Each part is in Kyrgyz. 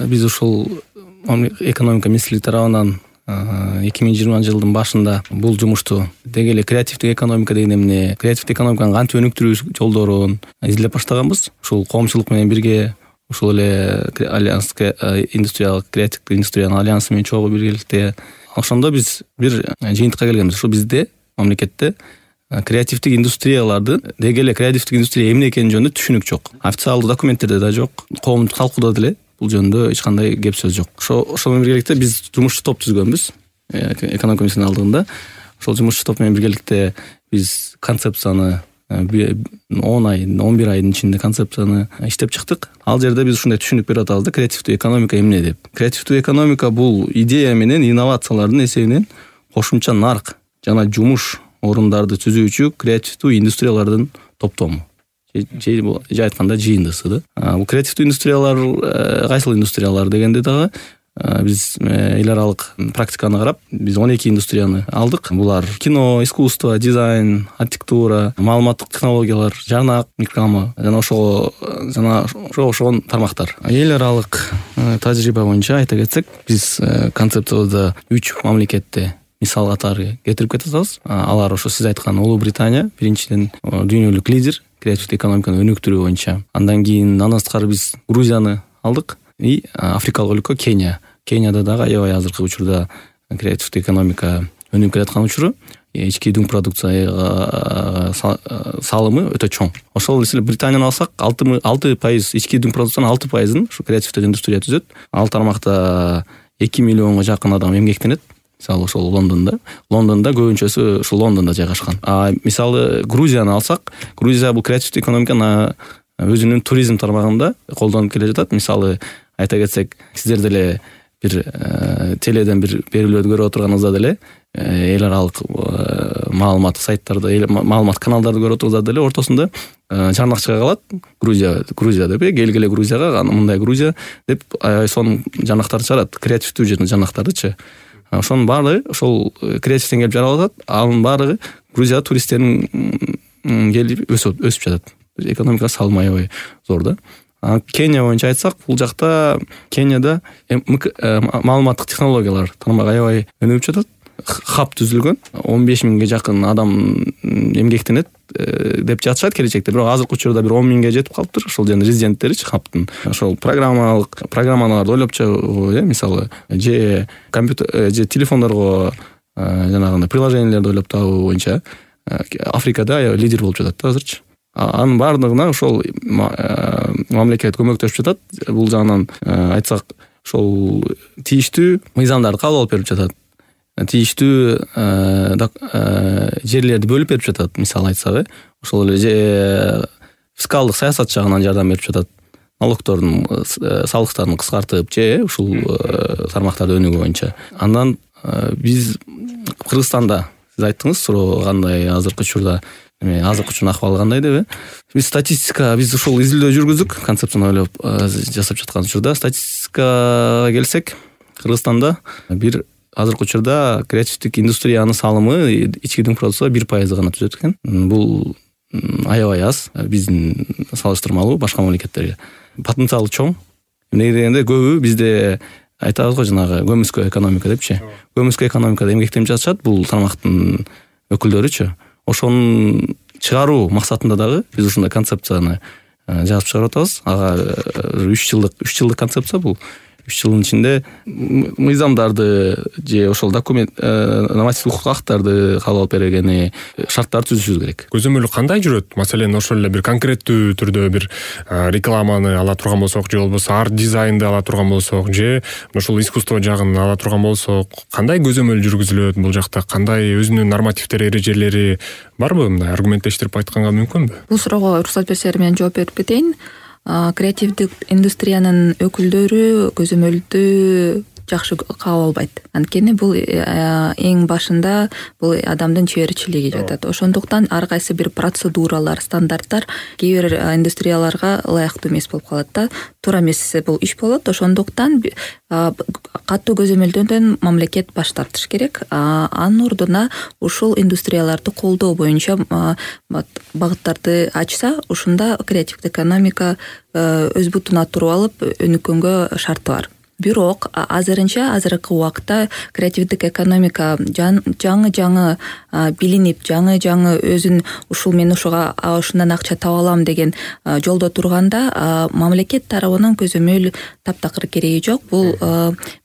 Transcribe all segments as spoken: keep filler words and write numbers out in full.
биз ушул экономика министрлиги тарабынан эки миң жыйырманчы жылдын башында бул жумушту деги эле креативдик экономика деген эмне, креативдик экономиканы кантип өнүктүрүү жолдорун изилдеп баштаганбыз. Ушул коомчулук менен бирге ушул эле альянс индустриялык креативдик индустриянын альянсы менен чогуу биргеликте ошондо биз бир жыйынтыкка келгенбиз. Ушу бизде мамлекетте креативдик индустрияларды деги эле креативдик индустрия эмне экени жөнүндө түшүнүк жок. Официалдуу документтерде да жок, коомдук талкууда деле бул жөнүндө эч кандай кеп сөз жок. Ошо ошол менен биргеликте биз жумушчу топ түзгөнбүз. Экономика министринин алдыгында ошол жумушчу топ менен биргеликте биз концепцияны он ай, он бир айдын ичинде концепцияны иштеп чыктык. Ал жерде биз ушундай түшүнүк берип атабыз да, креативдүү экономика эмне деп. Креативдүү экономика бул идея менен инновациялардын эсебинен кошумча нарк жана жумуш орундарды түзүүчү креативдүү индустриялардын топтому. Же айтканда жыйындысы да. Бул креативдүү индустриялар кайсыл индустриялар дегенде дагы биз эл аралык практиканы карап, биз он эки индустрияны алдык. Булар кино, искусство, дизайн, архитектура, маалыматтык технологиялар, жарнак, реклама жана ошого жана ошого тармактар. Эл аралык тажрыйба боюнча айта кетсек, биз концепциябызда үч мамлекетте мисал катары кетирип кетебиз. Алар ошо сиз айткан Улуу Британия биринчиден дүйнөлүк лидер креативдик экономиканы өнүктүрүү боюнча. Андан кийин андан сырткары биз Грузияны алдык и Африкалык өлкө Кения. Кенияда дагы аябай азыркы учурда креативдик экономика өнүгүп келаткан учуру, ички дүң продукция салымы өтө чоң. Ошол эле Британияны алсак, алты пайыз ички дүң продукциянын алты пайызын ушу креативдик индустрия түзөт. Ал тармакта эки миллионго жакын адам эмгектенет. Мисалы ошол Лондондо, Лондондо көбүнчөсү ушул Лондондо жайгашкан. А мисалы Грузияны алсак, Грузия бул креативдик экономиканы өзүнүн туризм тармагында колдонуп келе жатат. Мисалы айта кетсек, сиздер деле бир теледен бир берүүлөрдү көрүп отурганыңызда деле эл аралык маалыматтык сайттарды, маалымат каналдарды көрүп отурганыңызда деле ортосунда жарнак чыга калат. Грузия, Грузия деп келгиле Грузияга, мындай Грузия деп сонун жарнактарды чыгарат, креативдүү жарнактардычы. Ошонун баары ошол креативден келип жаралып атат. Анын баары Грузия туристтерин келип өсүп өсүп жатат. Экономика салымы аябай зор да. Кения боюнча айтсак, бул жакта Кенияда маалыматтык технологиялар тармагы аябай өнүгүп жатат. Хаб түзүлгөн, он беш миңге жакын адам эмгектенет деп жатышат келечекте. Бирок азыркы учурда бир он миңге жетип калыптыр. Ошол жердин резиденттеричи хабтын. Ошол программалык программаларды ойлоп чыгуу, мисалы, же компьютер, же телефондорго жанагындай приложениялерди ойлоп табуу боюнча Африкада аябай лидер болуп жатат да азырчы. Анын баардыгына ошол мамлекет көмөктөшүп жатат. Бул жагынан айтсак, ошол тийиштүү мыйзамдарды кабыл алып берип жатат. Тийиштүү жерлерди бөлүп берип жатат. Мисалы айтсак, ошол эле фискалдык саясат жагынан жардам берип жатат. Налогтордун салыктарын кыскартып, же ушул тармактарды өнүгүү боюнча. Андан биз Кыргызстанда, сиз айттыңыз, суроо кандай азыркы учурда, азыркы учурдун акыбалы кандай деп. Биз статистика, биз ушул изилдөө жүргүздүк, концепцияны ойлоп жасап жаткан учурда. Статистикага келсек, Кыргызстанда бир азыркы учурда креативдик индустриянын салымы ички дүң продукцияда бир пайызды гана түзөт экен. Бул аябай аз биздин салыштырмалуу башка мамлекеттерге. Потенциалы чоң. Эмне дегенде көбү бизде айтабыз го жанагы көмүскө экономика депчи. Көмүскө экономикада эмгектенип жатышат бул тармактын өкүлдөрүчү. Ошонун чыгаруу максатында дагы биз ушундай концепцияны жазып чыгарып атабыз. Ага үч жылдык үч жылдык концепция бул. үч жылдын ичинде мыйзамдарды же ошол документ нормативдик укук актарды кабыл алып бергени шарттарды түзүшүбүз керек. Көзөмөлү кандай жүрөт? Маселен, ошол эле бир конкреттүү түрдө бир рекламаны ала турган болсок, же болбосо арт дизайнды ала турган болсок, же ошол искусство жагын ала турган болсок, кандай көзөмөл жүргүзүлөт бул жакта? Кандай өзүнүн нормативдери, эрежелери барбы? Мындай аргументтештирип айтканга мүмкүнбү? Бул суроого уруксат берсеңер мен жооп берип кетейин. Креативдик индустриянын өкүлдөрү көзөмөлдү жакшы кабыл албайт. Анткени бул эң башында бул адамдын чеберчилиги жатат. Ошондуктан ар кайсы бир процедуралар, стандарттар кээ бир индустрияларга ылайыктуу эмес болуп калат да. Туура эмес бул иш болот. Ошондуктан катуу көзөмөлдөөдөн мамлекет баш тартыш керек. Анын ордуна ушул индустрияларды колдоо боюнча багыттарды ачса, ушунда креативдик экономика өз бутуна туруп алып өнүккөнгө шарты бар. бирок азырынча азыркы убакта креативдик экономика жаңы жаңы билинип, жаңы жаңы өзүн ушул мен ушуга ушундан акча таба алам деген жолдо турганда мамлекет тарабынан көзөмөл таптакыр кереги жок. Бул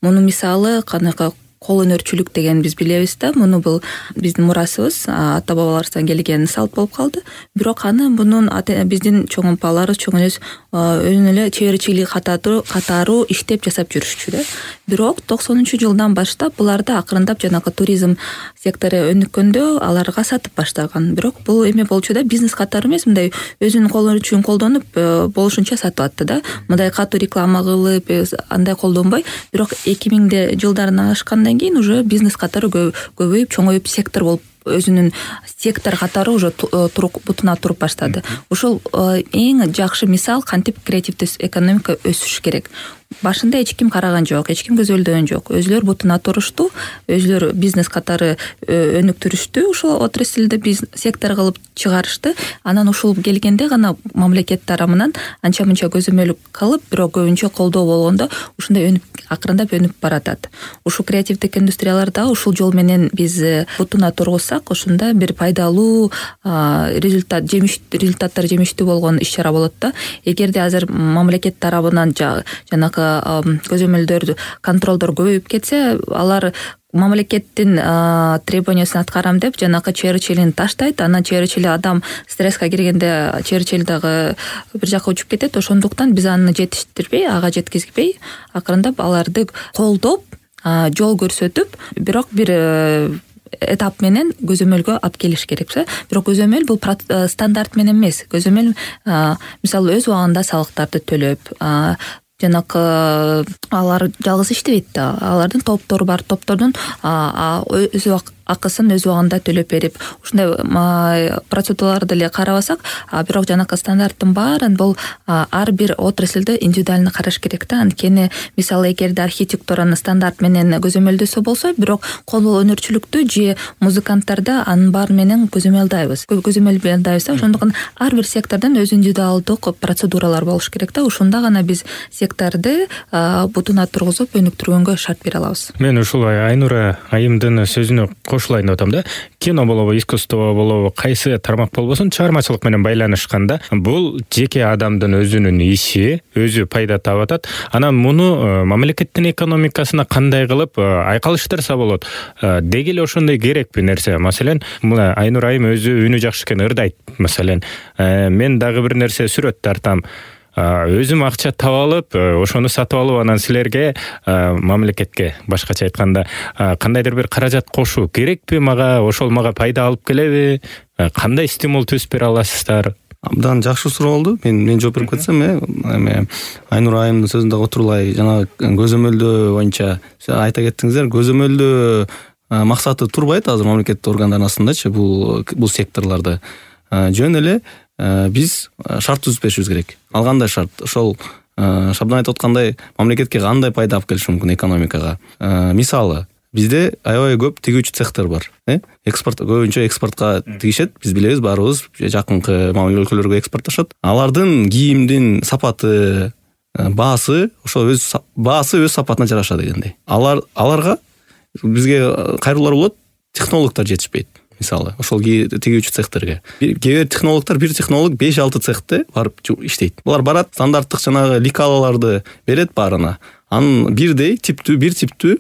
мунун мисалы канакы кол өнөрчүлүк деген биз билебиз да, муну бул биздин мурасыбыз, ата бабаларыбыздан келген салт болуп калды. Бирок аны мунун биздин чоң апаларыбыз, чоң энебиз өзүнүн эле чеберчилиги катары катары иштеп жасап жүрүшчү да. Бирок токсонунчу жылдан баштап буларды акырындап жанагы туризм сектору өнүккөндө аларга сатып баштаган. Бирок бул эме болчу да, бизнес катары эмес, мындай өзүнүн кол өнөрчүлүгүн колдонуп болушунча сатып атты да. Мындай катуу реклама кылып, андай колдонбой, бирок эки миңди жылдарына ашканда кийин уже бизнес катары көбөйүп, чоңоюп, сектор болуп өзүнүн сектор катары уже бутуна туруп баштады. Ошол эң жакшы мисал кантип креативдүү экономика өсүш керек. Башында эч ким караган жок, эч ким көзөлдөгөн жок. Өзүлөр бутуна турушту, өзүлөр бизнес катары өнүктүрүштү, ошол отрасльде бизнес сектор кылып чыгарышты. Анан ушул келгенде гана мамлекет тарабынан анча мынча көзөмөл кылып, бирок көбүнчө колдоо болгондо ушундай өнүп акырындап өнүп баратат. Ушул креативдик индустрияларда ушул жол менен биз бутуна тургузсак, ошондо бир пайдалуу результат, жемиш результаттар жемиштүү болгон иш-чара болот да. Эгерде азыр мамлекет тарабынан жанагы көзөмөлдөр, контролдор көбөйүп кетсе, алар мамлекеттин требованиясын аткарам деп жанакы чеберчилигин таштайт. Анан чеберчили адам стресске киргенде чеберчили дагы бир жака учуп кетет. Ошондуктан биз аны жетиштирбей, ага жеткизбей, акырындап аларды колдоп, жол көрсөтүп, бирок бир этап менен көзөмөлгө алып келиш керек. Бирок көзөмөл бул стандарт менен эмес. Көзөмөл мисалы өз убагында салыктарды төлөп, жанакы алар жалгыз иштебейт да. Алардын топтору бар, топтордун өз акысын өз убагында төлөп берип, ушундай процедураларды эле карабасак, бирок жанакы стандарттын баарын бул ар бир отрасльде индивидуально караш керек да. Анткени мисалы эгерде архитектураны стандарт менен көзөмөлдөсө болсо, бирок кол өнөрчүлүктү же музыканттарды анын баары менен көзөмөлдөйбүз. Көзөмөлдөйбүз. Ошондуктан ар бир сектордон өз индивидуалдык процедуралар болуш керек да. Ушунда гана биз секторду бутуна тургузуп өнүктүргөнгө шарт бере алабыз. Мен ушулай Айнура айымдын сөзүнө кошулайын деп атам да. Кино болобу, искусство болобу, кайсы тармак болбосун, чыгармачылык менен байланышканда бул жеке адамдын өзүнүн иши, өзү пайда таап атат. Анан муну мамлекеттин экономикасына кандай кылып айкалыштырса болот? Деги эле ошондой керекпи нерсе? Маселен, мына Айнура айым өзү үнү жакшы экен, ырдайт. Маселен, мен дагы бир нерсе сүрөт тартам. Өзүм акча таап алып, ошону сатып алып, анан силерге мамлекетке, башкача айтканда, кандайдыр бир каражат кошуу керекпи мага? Ошол мага пайда алып келеби? Кандай стимул түзүп бере аласыздар? Абдан жакшы суроо болду. Мен мен жооп берип кетсем, эме Айнура айымдын сөзүндө отурлай, жана көзөмөлдөө боюнча айта кеттиңиздер. Көзөмөлдөө максаты турбайт азыр мамлекеттик органдардын астындачы бул бул секторлордо. Жөн эле биз шарт түзүп беришибиз керек. Ал кандай шарт? Ошол Шабдан айтып аткандай, мамлекетке кандай пайда алып келиши мүмкүн экономикага? Мисалы, бизде аябай көп тигүүчү цехтер бар. Экспорт көбүнчө экспортко тигишет. Биз билебиз, баарыбыз жакынкы мамлекет өлкөлөргө экспорттошот. Алардын кийимдин сапаты, баасы, ошол өз баасы өз сапатына жараша дегендей. Алар аларга бизге кайрылуулар болот, технологдор жетишпейт. Мисалы, ошол тигүүчү цехтерге. Кээ бир технологдор, бир технолог беш алты цехте барып иштейт. Булар барат, стандарттык жанагы ликалаларды берет баарына. Анын бирдей типтүү, бир типтүү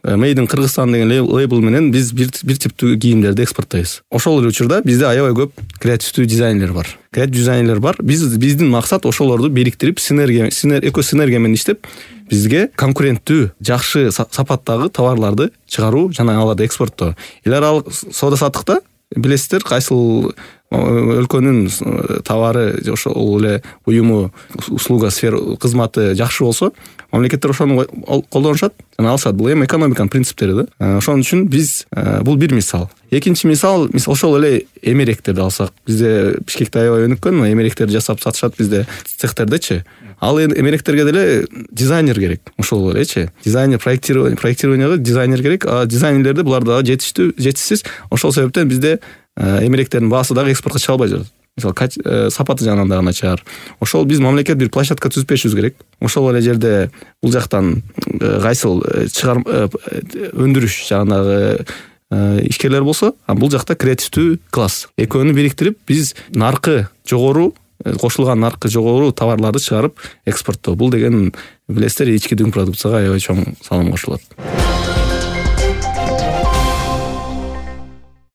Made in Кыргызстан деген лейбл менен биз бир бир типтүү кийимдерди экспорттойбуз. Ошол эле учурда бизде аябай көп креативдүү дизайнерлер бар. Креатив дизайнерлер бар. Биз биздин максат ошолорду бириктирип, синергия, синергия, экосинергия менен иштеп, бизге конкуренттүү, жакшы сапаттагы товарларды чыгаруу жана аларды экспорттоо. Эл аралык соода саттыкта билесиздер, кайсыл өлкөнүн товары, ошол эле уюму, услуга сфера, кызматы жакшы болсо, мамлекеттер ошону колдонушат жана алышат. Бул эми экономиканын принциптери да. Ошон үчүн биз бул бир мисал. Экинчи мисал, мисал ошол эле эмеректерди алсак. Бизде Бишкекте аябай өнүккөн, эмеректерди жасап сатышат бизде цехтердечи. Ал эмеректерге деле дизайнер керек. Ошол элечи. Дизайнер, проектирование, проектированияга дизайнер керек. А дизайнерлерди булар дагы жетиштүү, жетишсиз. Ошол себептен бизде эмеректердин баасы дагы экспортко чыга албай жатат. мисалы сапаты жагынан да начар. Ошол биз мамлекет бир площадка түзүп беришибиз керек. Ошол эле жерде бул жактан кайсыл чыгар өндүрүш жагындагы ишкерлер болсо, бул жакта креативдүү класс. Экөөнү бириктирип биз наркы жогору, кошулган наркы жогору товарларды чыгарып экспорттоо. Бул деген билесиздер ички дүң продукцияга аябай чоң салым кошулат.